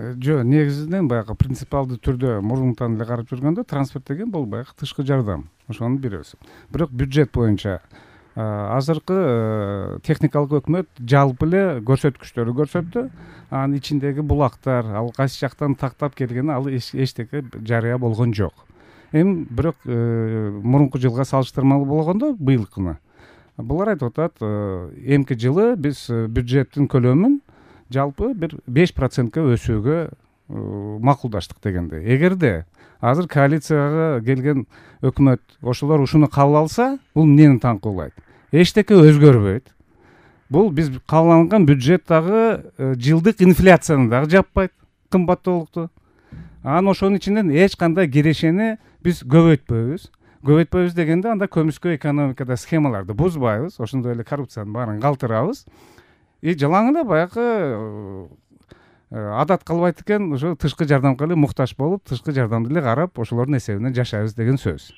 Жок, негизинен баягы принципиалдуу түрдө мурунтан эле карап жүргөндө транспорт деген бул баягы тышкы жардам, ошонун бирөөсү. Бирок бюджет боюнча азыркы техникалык өкмөт жалпы эле көрсөткүчтөрдү көрсөттү. Анын ичиндеги булактар, ал кайсы жактан тактап келгени ал эчтеке жарыя болгон жок. Эми бирок мурунку жылга салыштырмалуу болгондо быйылкыны булар айтып атат, эмки жылы биз бюджеттин көлөмүн жалпы бир 5%ка өсүүгө макулдаштык дегенде. Эгерде азыр коалицияга келген өкмөт ошолор ушуну кабыл алса, бул эмнени таңкуулайт? Эчтеке өзгөрбөйт. Бул биз кабыл алган бюджет дагы жылдык инфляцияны дагы жаппайт, кымбаттуулукту. Анан ошонун ичинен эч кандай кирешени биз көбөйтпөйбүз. Көбөйтпөйбүз дегенде анда көмүскө экономикада схемаларды бузбайбыз, ошондой эле коррупциянын баарын калтырабыз. Жалаң эле баягы адат калбайт экен, ошо тышкы жардамга эле муктаж болуп, тышкы жардамды эле карап, ошолордун эсебинен жашайбыз деген сөз.